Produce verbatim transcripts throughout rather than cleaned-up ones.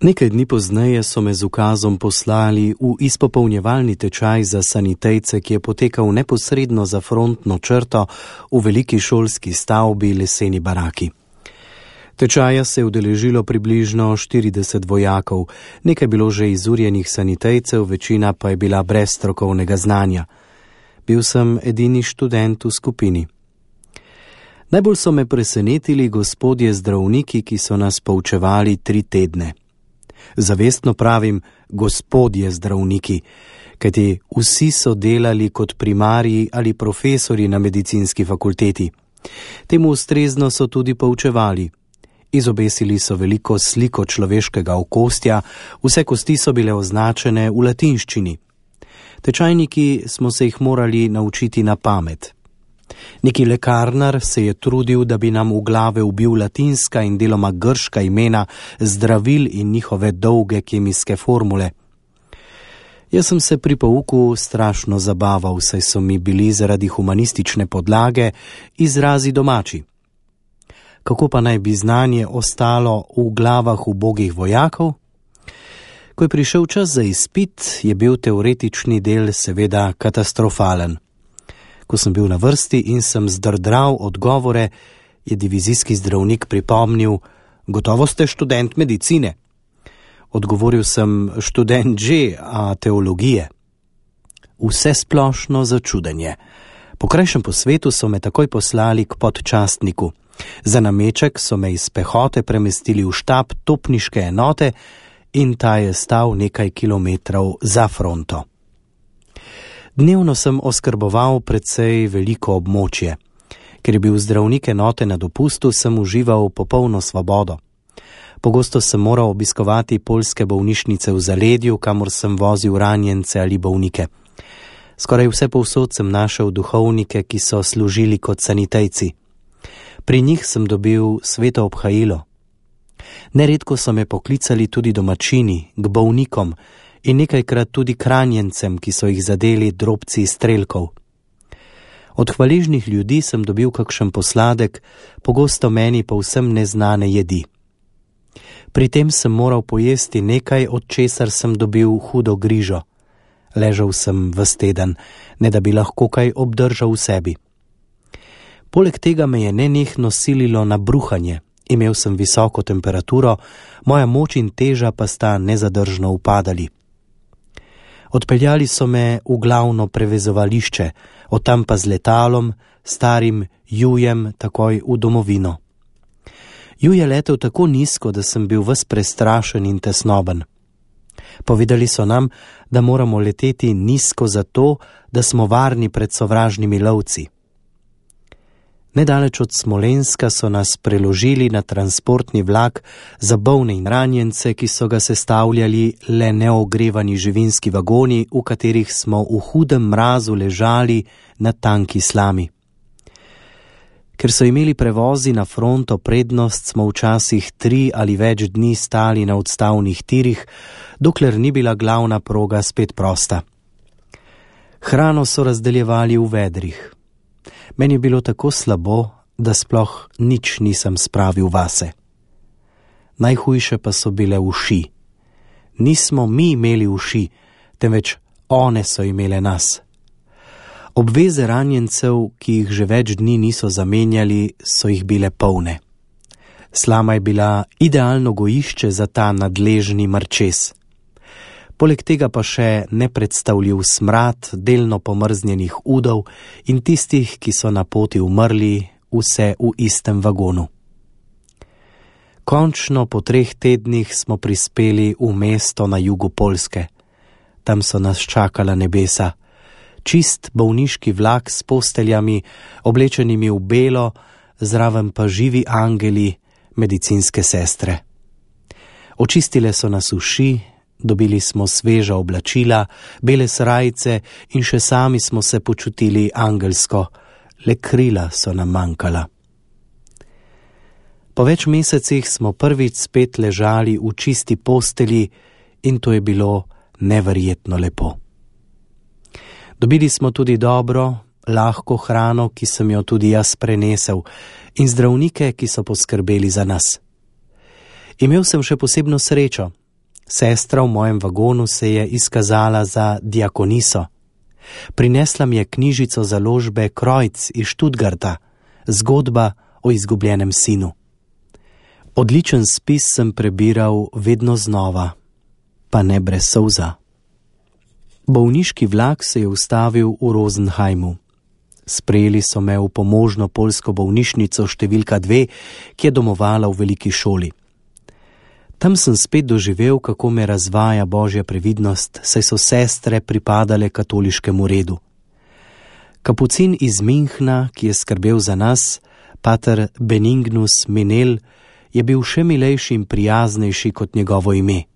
Nekaj dni pozneje so me z ukazom poslali v izpopolnjevalni tečaj za sanitejce, ki je potekal neposredno za frontno črto v veliki šolski stavbi leseni baraki. Tečaja se je udeležilo približno štirideset vojakov, nekaj bilo že izurjenih sanitejcev, večina pa je bila brez strokovnega znanja. Bil sem edini študent v skupini. Najbolj so me presenetili gospodje zdravniki, ki so nas poučevali tri tedne. Zavestno pravim gospodje zdravniki, kajti vsi so delali kot primarji ali profesori na medicinski fakulteti. Temu ustrezno so tudi poučevali. Izobesili so veliko sliko človeškega okostja, vse kosti so bile označene v latinščini. Tečajniki smo se jih morali naučiti na pamet. Neki lekarnar se je trudil, da bi nam v glave ubil latinska in deloma grška imena zdravil in njihove dolge kemijske formule. Jaz sem se pri pouku strašno zabaval, saj so mi bili zaradi humanistične podlage izrazi domači. Kako pa naj bi znanje ostalo v glavah ubogih vojakov? Ko je prišel čas za izpit, je bil teoretični del seveda katastrofalen. Ko sem bil na vrsti in sem zdrdral odgovore, je divizijski zdravnik pripomnil: gotovo ste študent medicine. Odgovoril sem: študent že, a teologije. Vse splošno začudenje. Po krajšem posvetu so me takoj poslali k podčastniku. Za nameček so me iz pehote premestili v štab topniške enote in ta je stal nekaj kilometrov za fronto. Dnevno sem oskrboval precej veliko območje. Ker je bil zdravnik enote na dopustu, sem užival popolno svobodo. Pogosto sem moral obiskovati poljske bolnišnice v zaledju, kamor sem vozil ranjence ali bolnike. Skoraj vse povsod sem našel duhovnike, ki so služili kot sanitejci. Pri njih sem dobil sveto obhajilo. Neredko so me poklicali tudi domačini, k bolnikom, in nekajkrat tudi k ranjencem, ki so jih zadeli drobci strelkov. Od hvaležnih ljudi sem dobil kakšen posladek, pogosto meni povsem neznane jedi. Pri tem sem moral pojesti nekaj, od česar sem dobil hudo grižo. Ležal sem ves teden, ne da bi lahko kaj obdržal v sebi. Poleg tega me je nenehno sililo na bruhanje. Imel sem visoko temperaturo, moja moč in teža pa sta nezadržno upadali. Odpeljali so me v glavno prevezovališče, od tam pa z letalom, starim Jujem, takoj v domovino. Ju je letel tako nizko, da sem bil ves prestrašen in tesnoben. Povedali so nam, da moramo leteti nizko zato, da smo varni pred sovražnimi lovci. Nedaleč od Smolenska so nas preložili na transportni vlak za bolne in ranjence, ki so ga sestavljali le neogrevani živinski vagoni, v katerih smo v hudem mrazu ležali na tanki slami. Ker so imeli prevozi na fronto prednost, smo včasih tri ali več dni stali na odstavnih tirih, dokler ni bila glavna proga spet prosta. Hrano so razdeljevali v vedrih. Meni je bilo tako slabo, da sploh nič nisem spravil vase. Najhujše pa so bile uši. Nismo mi imeli uši, temveč one so imele nas. Obveze ranjencev, ki jih že več dni niso zamenjali, so jih bile polne. Slama je bila idealno gojišče za ta nadležni mrčes. Poleg tega pa še nepredstavljiv smrad delno pomrznjenih udov in tistih, ki so na poti umrli, vse v istem vagonu. Končno po treh tednih smo prispeli v mesto na jugu Poljske. Tam so nas čakala nebesa. Čist bolniški vlak s posteljami, oblečenimi v belo, zraven pa živi angeli, medicinske sestre. Očistile so nas uši, dobili smo sveža oblačila, bele srajce in še sami smo se počutili angelsko, le krila so nam manjkala. Po več mesecih smo prvič spet ležali v čisti postelji in to je bilo neverjetno lepo. Dobili smo tudi dobro, lahko hrano, ki sem jo tudi jaz prenesel, in zdravnike, ki so poskrbeli za nas. Imel sem še posebno srečo. Sestra v mojem vagonu se je izkazala za diakoniso. Prinesla mi je knjižico založbe Kreuz iz Stuttgarta, zgodba o izgubljenem sinu. Odličen spis sem prebiral vedno znova, pa ne brez solza. Bolniški vlak se je ustavil v Rosenheimu. Sprejeli so me v pomožno poljsko bolnišnico številka dve, ki je domovala v veliki šoli. Tam sem spet doživel, kako me razvaja Božja previdnost, saj so sestre pripadale katoliškemu redu. Kapucin iz Minhna, ki je skrbel za nas, pater Benignus Minel, je bil še milejši in prijaznejši kot njegovo ime.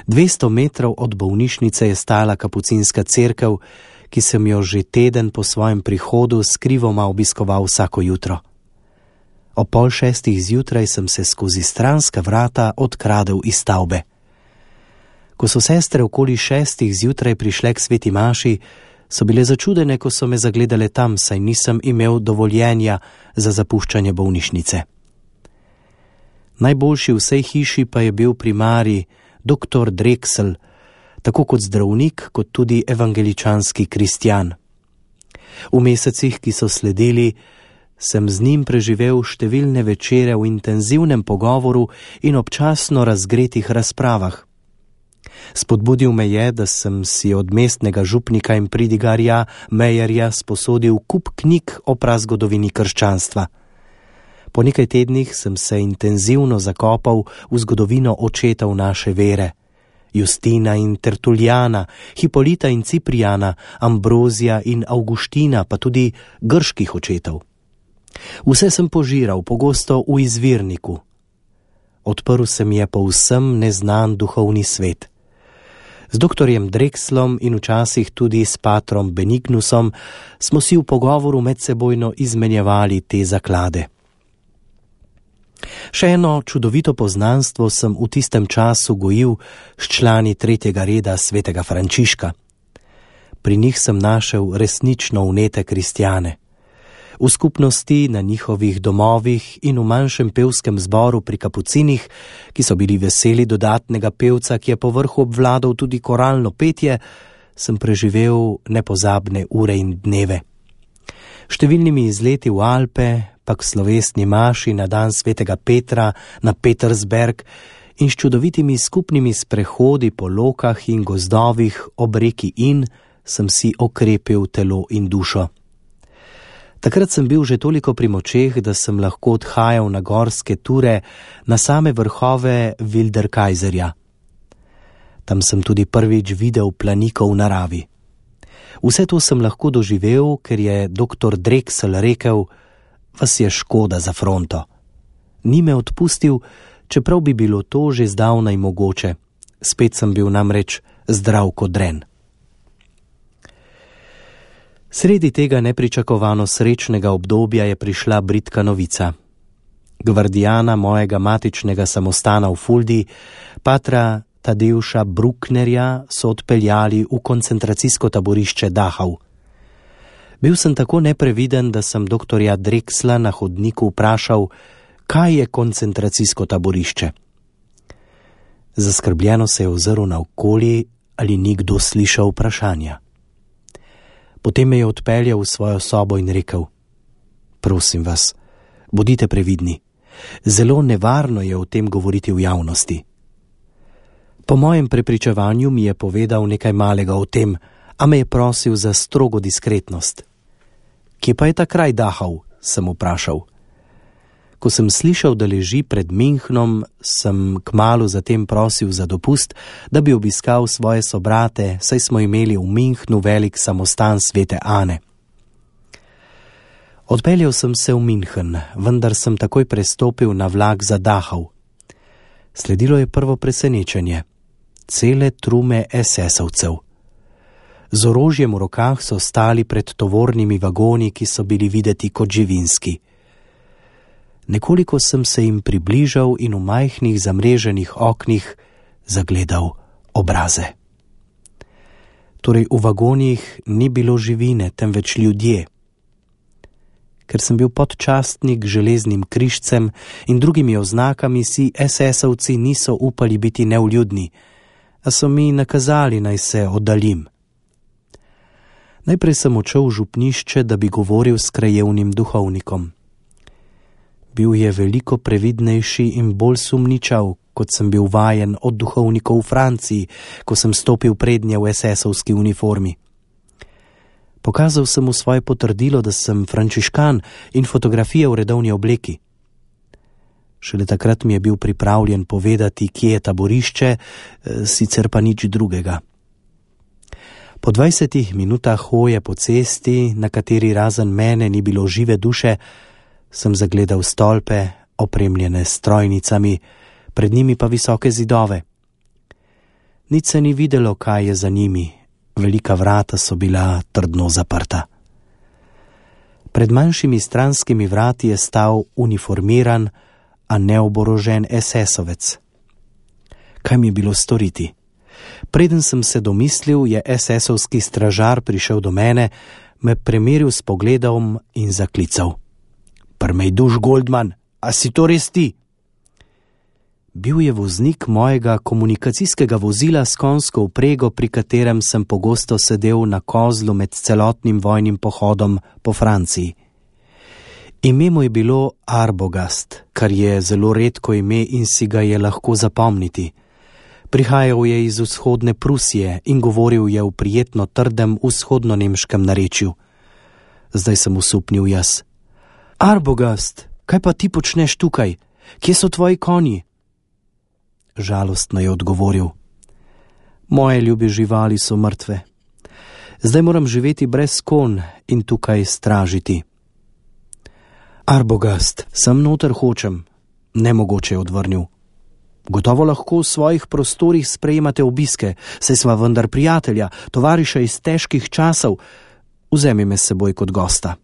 Dvesto metrov od bolnišnice je stala kapucinska cerkev, ki sem jo že teden po svojem prihodu skrivoma obiskoval vsako jutro. O pol šestih zjutraj sem se skozi stranska vrata odkradel iz stavbe. Ko so sestre okoli šestih zjutraj prišle k sveti maši, so bile začudene, ko so me zagledale tam, saj nisem imel dovoljenja za zapuščanje bolnišnice. Najboljši v vsej hiši pa je bil primarij doktor Drexel, tako kot zdravnik, kot tudi evangeličanski kristjan. V mesecih, ki so sledili, sem z njim preživel številne večere v intenzivnem pogovoru in občasno razgretih razpravah. Spodbudil me je, da sem si od mestnega župnika in pridigarja Mejerja sposodil kup knjig o prazgodovini krščanstva. Po nekaj tednih sem se intenzivno zakopal v zgodovino očetov naše vere. Justina in Tertuljana, Hipolita in Ciprijana, Ambrozija in Avguština, pa tudi grških očetov. Vse sem požiral, pogosto v izvirniku. Odprl se mi je povsem neznan duhovni svet. Z doktorjem Drexlom in včasih tudi s patrom Benignusom smo si v pogovoru medsebojno izmenjevali te zaklade. Še eno čudovito poznanstvo sem v tistem času gojil s člani tretjega reda svetega Frančiška. Pri njih sem našel resnično vnete kristjane. V skupnosti, na njihovih domovih in v manjšem pevskem zboru pri kapucinih, ki so bili veseli dodatnega pevca, ki je povrhu obvladal tudi koralno petje, sem preživel nepozabne ure in dneve. Številnimi izleti v Alpe, pa k slovesni maši na dan svetega Petra na Petersberg in s čudovitimi skupnimi sprehodi po lokah in gozdovih ob reki Inn sem si okrepil telo in dušo. Takrat sem bil že toliko pri močeh, da sem lahko odhajal na gorske ture na same vrhove Wilderkaiserja. Tam sem tudi prvič videl planikov v naravi. Vse to sem lahko doživel, ker je doktor Drexel rekel: vas je škoda za fronto. Ni me odpustil, čeprav bi bilo to že zdavnaj mogoče. Spet sem bil namreč zdrav kot dren. Sredi tega nepričakovano srečnega obdobja je prišla bridka novica. Gvardijana mojega matičnega samostana v Fuldi, patra Tadeuša Brucknerja, so odpeljali v koncentracijsko taborišče Dachau. Bil sem tako nepreviden, da sem doktorja Drexla na hodniku vprašal, kaj je koncentracijsko taborišče. Zaskrbljeno se je ozrl naokoli, ali ni kdo slišal vprašanja. Potem me je odpeljal v svojo sobo in rekel: prosim vas, bodite previdni. Zelo nevarno je o tem govoriti v javnosti. Po mojem prepričevanju mi je povedal nekaj malega o tem, a me je prosil za strogo diskretnost. Kje pa je ta kraj Dachau, sem vprašal. Ko sem slišal, da leži pred Minhnom, sem kmalu zatem prosil za dopust, da bi obiskal svoje sobrate, saj smo imeli v Minhnu velik samostan svete Ane. Odpeljal sem se v Minhen, vendar sem takoj prestopil na vlak za Dachau. Sledilo je prvo presenečenje. Cele trume esesovcev. Z orožjem v rokah so stali pred tovornimi vagoni, ki so bili videti kot živinski. Nekoliko sem se jim približal in v majhnih zamreženih oknih zagledal obraze. Torej v vagonih ni bilo živine, temveč ljudje. Ker sem bil podčastnik železnim križcem in drugimi oznakami, si esesovci niso upali biti nevljudni, a so mi nakazali, naj se oddaljim. Najprej sem odšel v župnišče, da bi govoril s krajevnim duhovnikom. Bil je veliko previdnejši in bolj sumničav, kot sem bil vajen od duhovnikov v Franciji, ko sem stopil prednje v esesovski uniformi. Pokazal sem mu svoje potrdilo, da sem frančiškan, in fotografije v redovni obleki. Šele takrat mi je bil pripravljen povedati, kje je taborišče, sicer pa nič drugega. Po dvajsetih minutah hoje po cesti, na kateri razen mene ni bilo žive duše, sem zagledal stolpe, opremljene s strojnicami, pred njimi pa visoke zidove. Nič se ni videlo, kaj je za njimi, velika vrata so bila trdno zaprta. Pred manjšimi stranskimi vrati je stal uniformiran, a neoborožen esesovec. Kaj mi je bilo storiti? Preden sem se domislil, je esesovski stražar prišel do mene, me premeril s pogledom in zaklical. Prmejduš, Goldman, a si to res ti? Bil je voznik mojega komunikacijskega vozila s konjsko vprego, pri katerem sem pogosto sedel na kozlu med celotnim vojnim pohodom po Franciji. Ime mu je bilo Arbogast, kar je zelo redko ime in si ga je lahko zapomniti. Prihajal je iz vzhodne Prusije in govoril je v prijetno trdem vzhodno-nemškem narečju. Zdaj sem usupnil jaz. Arbogast, kaj pa ti počneš tukaj? Kje so tvoji konji? Žalostno je odgovoril. Moje ljube živali so mrtve. Zdaj moram živeti brez konj in tukaj stražiti. Arbogast, sem noter hočem, nemogoče je odvrnil. Gotovo lahko v svojih prostorih sprejemate obiske, saj sva vendar prijatelja, tovariša iz težkih časov. Vzemi me s seboj kot gosta.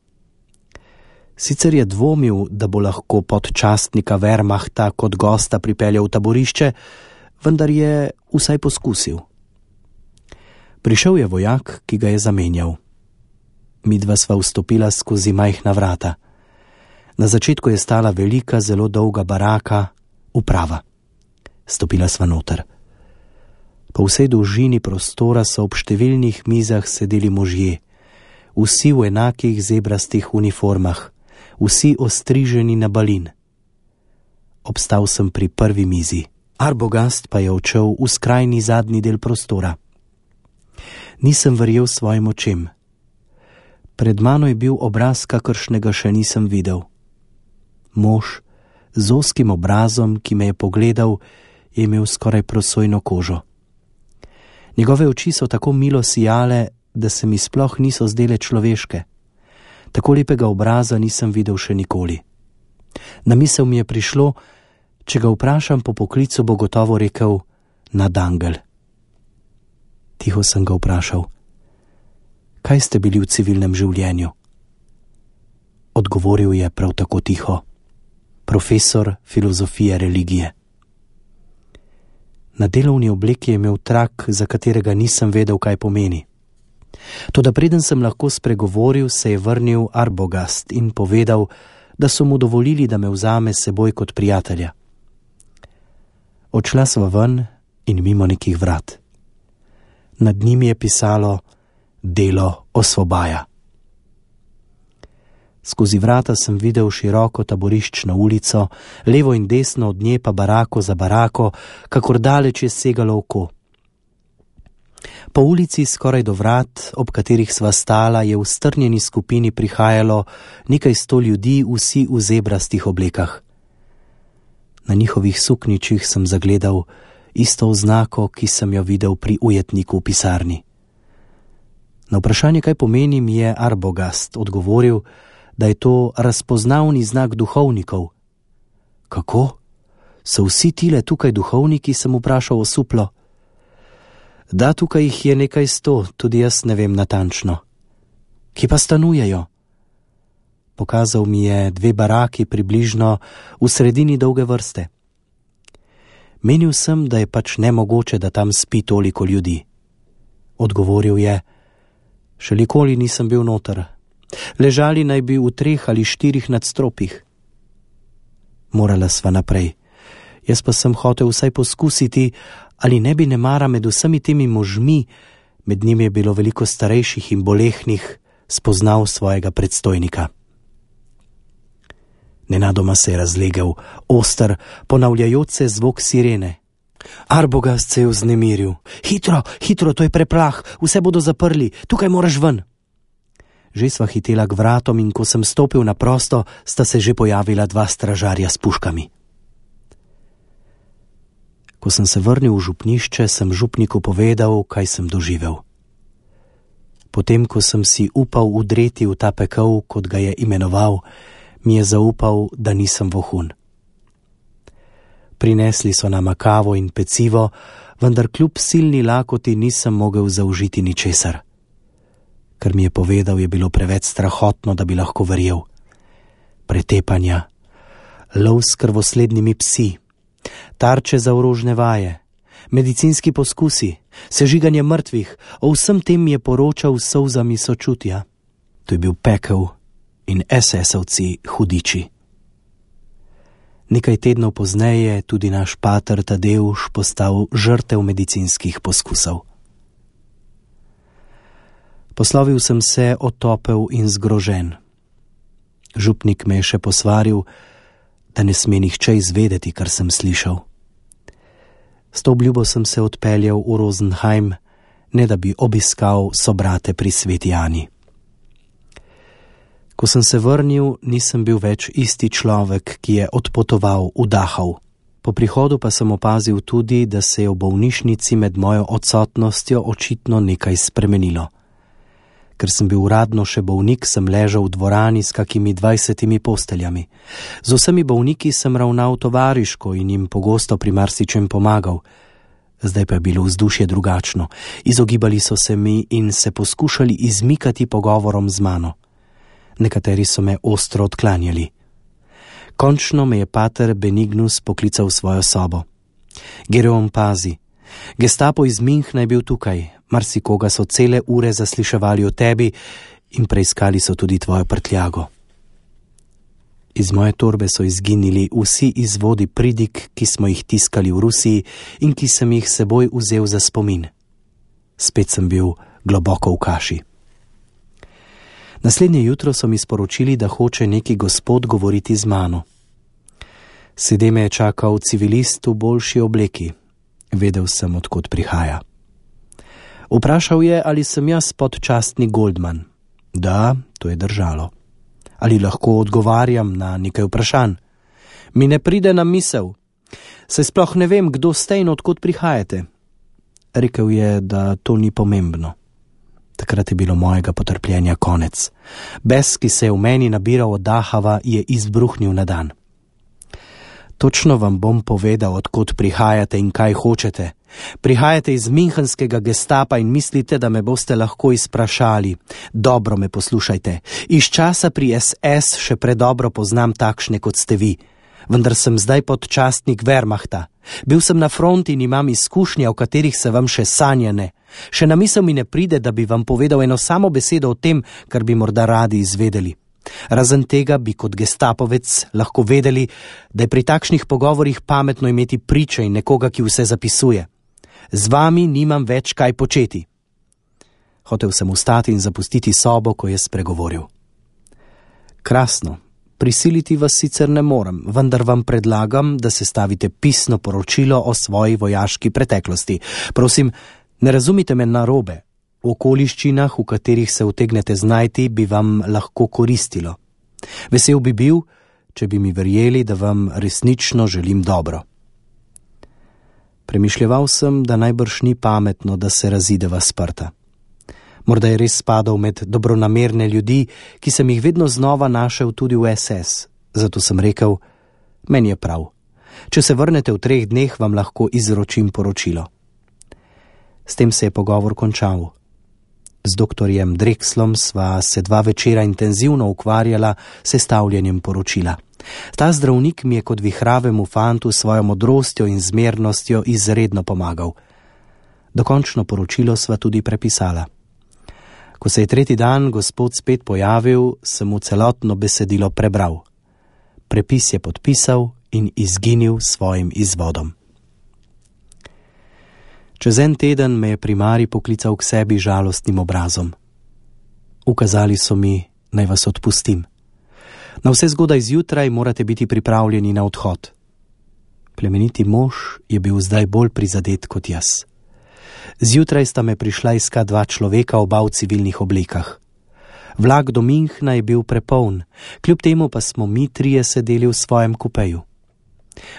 Sicer je dvomil, da bo lahko podčastnika Wehrmachta kot gosta pripeljal v taborišče, vendar je vsaj poskusil. Prišel je vojak, ki ga je zamenjal. Midva sva vstopila skozi majhna vrata. Na začetku je stala velika, zelo dolga baraka, uprava. Stopila sva noter. Po vsej dolžini prostora so ob številnih mizah sedeli možje, vsi v enakih zebrastih uniformah, vsi ostriženi na balin. Obstal sem pri prvi mizi, Arbogast pa je odšel v skrajni zadnji del prostora. Nisem verjel svojim očem. Pred mano je bil obraz, kakršnega še nisem videl. Mož z ozkim obrazom, ki me je pogledal, je imel skoraj prosojno kožo. Njegove oči so tako milo sijale, da se mi sploh niso zdele človeške. Tako lepega obraza nisem videl še nikoli. Na misel mi je prišlo, če ga vprašam po poklicu, bo gotovo rekel nadangel. Tiho sem ga vprašal, kaj ste bili v civilnem življenju? Odgovoril je prav tako tiho, profesor filozofije religije. Na delovni obleki je imel trak, za katerega nisem vedel, kaj pomeni. Toda preden sem lahko spregovoril, se je vrnil Arbogast in povedal, da so mu dovolili, da me vzame s seboj kot prijatelja. Odšla sva ven in mimo nekih vrat. Nad njimi je pisalo Delo osvobaja. Skozi vrata sem videl široko taboriščno ulico, levo in desno od nje pa barako za barako, kakor daleč je segalo oko. Po ulici skoraj do vrat, ob katerih sva stala, je v strnjeni skupini prihajalo nekaj sto ljudi, vsi v zebrastih oblekah. Na njihovih suknjičih sem zagledal isto oznako, ki sem jo videl pri ujetniku v pisarni. Na vprašanje, kaj pomeni, mi je Arbogast odgovoril, da je to razpoznavni znak duhovnikov. Kako? So vsi tile tukaj duhovniki, sem vprašal osuplo. Da, tukaj jih je nekaj sto, tudi jaz ne vem natančno. Kje pa stanujejo? Pokazal mi je dve baraki približno v sredini dolge vrste. Menil sem, da je pač nemogoče, da tam spi toliko ljudi. Odgovoril je, še nikoli nisem bil noter. Ležali naj bi v treh ali štirih nadstropjih. Morala sva naprej. Jaz pa sem hotel vsaj poskusiti, ali ne bi nemara med vsemi temi možmi, med njimi je bilo veliko starejših in bolehnih, spoznal svojega predstojnika. Nenadoma se je razlegel oster, ponavljajoč se zvok sirene. Arbogast se je vznemiril. Hitro, hitro, to je preplah, vse bodo zaprli, tukaj moraš ven. Že sva hitela k vratom in ko sem stopil na prosto, sta se že pojavila dva stražarja s puškami. Ko sem se vrnil v župnišče, sem župniku povedal, kaj sem doživel. Potem, ko sem si upal udreti v ta pekel, kot ga je imenoval, mi je zaupal, da nisem vohun. Prinesli so nama kavo in pecivo, vendar kljub silni lakoti nisem mogel zaužiti ničesar. Kar mi je povedal, je bilo preveč strahotno, da bi lahko verjel. Pretepanja, lov s krvoslednimi psi, tarče za orožne vaje, medicinski poskusi, sežiganje mrtvih, o vsem tem je poročal s solzami sočutja. To je bil pekel in esesovci hudiči. Nekaj tednov pozneje je tudi naš pater Tadeuš postal žrtev medicinskih poskusov. Poslovil sem se otopel in zgrožen. Župnik me je še posvaril, da ne sme nihče izvedeti, kar sem slišal. S to obljubo sem se odpeljal v Rosenheim, ne da bi obiskal sobrate pri Sveti Ani. Ko sem se vrnil, nisem bil več isti človek, ki je odpotoval v Dachau. Po prihodu pa sem opazil tudi, da se je v bolnišnici med mojo odsotnostjo očitno nekaj spremenilo. Ker sem bil uradno še bolnik, sem ležal v dvorani s kakimi dvajsetimi posteljami. Z vsemi bolniki sem ravnal tovariško in jim pogosto pri marsičem pomagal. Zdaj pa je bilo vzdušje drugačno. Izogibali so se mi in se poskušali izmikati pogovorom z mano. Nekateri so me ostro odklanjali. Končno me je pater Benignus poklical v svojo sobo. Gereon, pazi, Gestapo iz Münchna je bil tukaj, marsikoga so cele ure zasliševali o tebi in preiskali so tudi tvojo prtljago. Iz moje torbe so izginili vsi izvodi pridig, ki smo jih tiskali v Rusiji in ki sem jih seboj vzel za spomin. Spet sem bil globoko v kaši. Naslednje jutro so mi sporočili, da hoče neki gospod govoriti z mano. Sede me je čakal civilist v boljši obleki. Vedel sem, odkot prihaja. Vprašal je, ali sem jaz podčastnik Goldman. Da, to je držalo. Ali lahko odgovarjam na nekaj vprašanj? Mi ne pride na misel. Saj sploh ne vem, kdo ste in odkot prihajate. Rekel je, da to ni pomembno. Takrat je bilo mojega potrpljenja konec. Bes, ki se je v meni nabiral od Dachava, je izbruhnil na dan. Točno vam bom povedal, odkot prihajate in kaj hočete. Prihajate iz münchenskega gestapa in mislite, da me boste lahko izprašali. Dobro me poslušajte. Iz časa pri es es še predobro poznam takšne, kot ste vi. Vendar sem zdaj podčastnik Wehrmachta. Bil sem na fronti in imam izkušnje, o katerih se vam še sanja ne. Še na misel mi ne pride, da bi vam povedal eno samo besedo o tem, kar bi morda radi izvedeli. Razen tega bi kot gestapovec lahko vedeli, da je pri takšnih pogovorih pametno imeti priče in nekoga, ki vse zapisuje. Z vami nimam več kaj početi. Hotel sem vstati in zapustiti sobo, ko je spregovoril. Krasno, prisiliti vas sicer ne morem, vendar vam predlagam, da sestavite pisno poročilo o svoji vojaški preteklosti. Prosim, ne razumite me narobe. V okoliščinah, v katerih se utegnete znajti, bi vam lahko koristilo. Vesel bi bil, če bi mi verjeli, da vam resnično želim dobro. Premišljeval sem, da najbrž ni pametno, da se razideva sprta. Morda je res spadal med dobronamerne ljudi, ki sem jih vedno znova našel tudi v es es. Zato sem rekel, meni je prav. Če se vrnete v treh dneh, vam lahko izročim poročilo. S tem se je pogovor končal. Z doktorjem Drexlom sva se dva večera intenzivno ukvarjala s sestavljanjem poročila. Ta zdravnik mi je kot vihravemu fantu svojo modrostjo in zmernostjo izredno pomagal. Dokončno poročilo sva tudi prepisala. Ko se je tretji dan gospod spet pojavil, sem mu celotno besedilo prebral. Prepis je podpisal in izginil svojim izvodom. Čez en teden me je primarij poklical k sebi žalostnim obrazom. Ukazali so mi, naj vas odpustim. Na vse zgodaj zjutraj morate biti pripravljeni na odhod. Plemeniti mož je bil zdaj bolj prizadet kot jaz. Zjutraj sta me prišla iskat dva človeka, oba v civilnih oblekah. Vlak do Münchna je bil prepoln, kljub temu pa smo mi trije sedeli v svojem kupeju.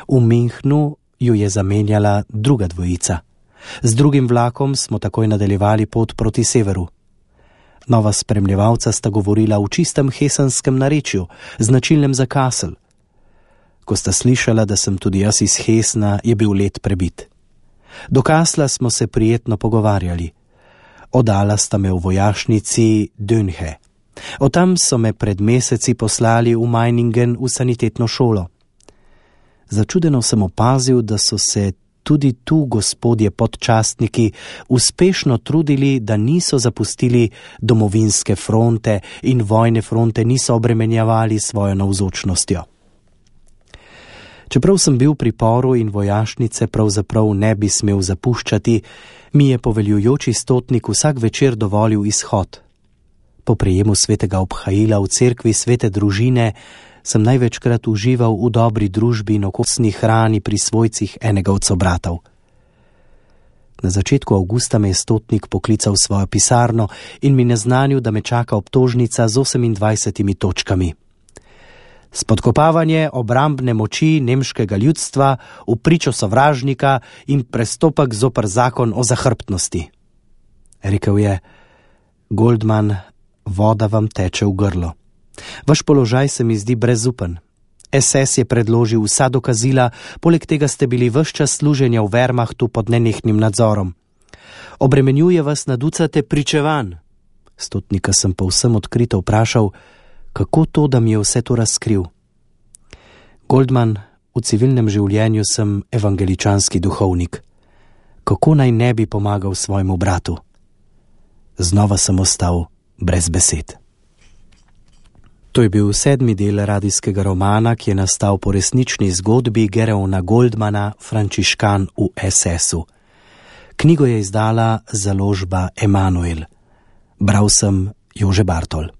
V Münchnu ju je zamenjala druga dvojica. Z drugim vlakom smo takoj nadaljevali pot proti severu. Nova spremljevalca sta govorila v čistem hesenskem narečju, značilnem za Kassel. Ko sta slišala, da sem tudi jaz iz Hesna, je bil let prebit. Do Kassla smo se prijetno pogovarjali. Oddala sta me v vojašnici Dönhe. Od tam so me pred meseci poslali v Meiningen v sanitetno šolo. Začudeno sem opazil, da so se tudi tu gospodje podčastniki uspešno trudili, da niso zapustili domovinske fronte in vojne fronte niso obremenjevali svojo navzočnostjo. Čeprav sem bil v priporu in vojašnice pravzaprav ne bi smel zapuščati, mi je poveljujoči stotnik vsak večer dovolil izhod. Po prejemu svetega obhajila v cerkvi svete družine sem največkrat užival v dobri družbi in okosni hrani pri svojcih enega od sobratov. Na začetku avgusta me je stotnik poklical v svojo pisarno in mi naznanil, da me čaka obtožnica z osemindvajsetimi točkami. Spodkopavanje obrambne moči nemškega ljudstva v pričo sovražnika in prestopek zoper zakon o zahrbtnosti. Rekel je: Goldman, voda vam teče v grlo. Vaš položaj se mi zdi brezupen. es es je predložil vsa dokazila, poleg tega ste bili ves čas služenja v Wehrmachtu pod nenehnim nadzorom. Obremenjuje vas na ducate pričevanj. Stotnika sem povsem odkrito vprašal, kako to, da mi je vse to razkril. Goldman, v civilnem življenju sem evangeličanski duhovnik. Kako naj ne bi pomagal svojemu bratu? Znova sem ostal brez besed. To je bil sedmi del radijskega romana, ki je nastal po resnični zgodbi Gereona Goldmana, frančiškan v es esu. Knjigo je izdala založba Emanuel. Bral sem Jože Bartol.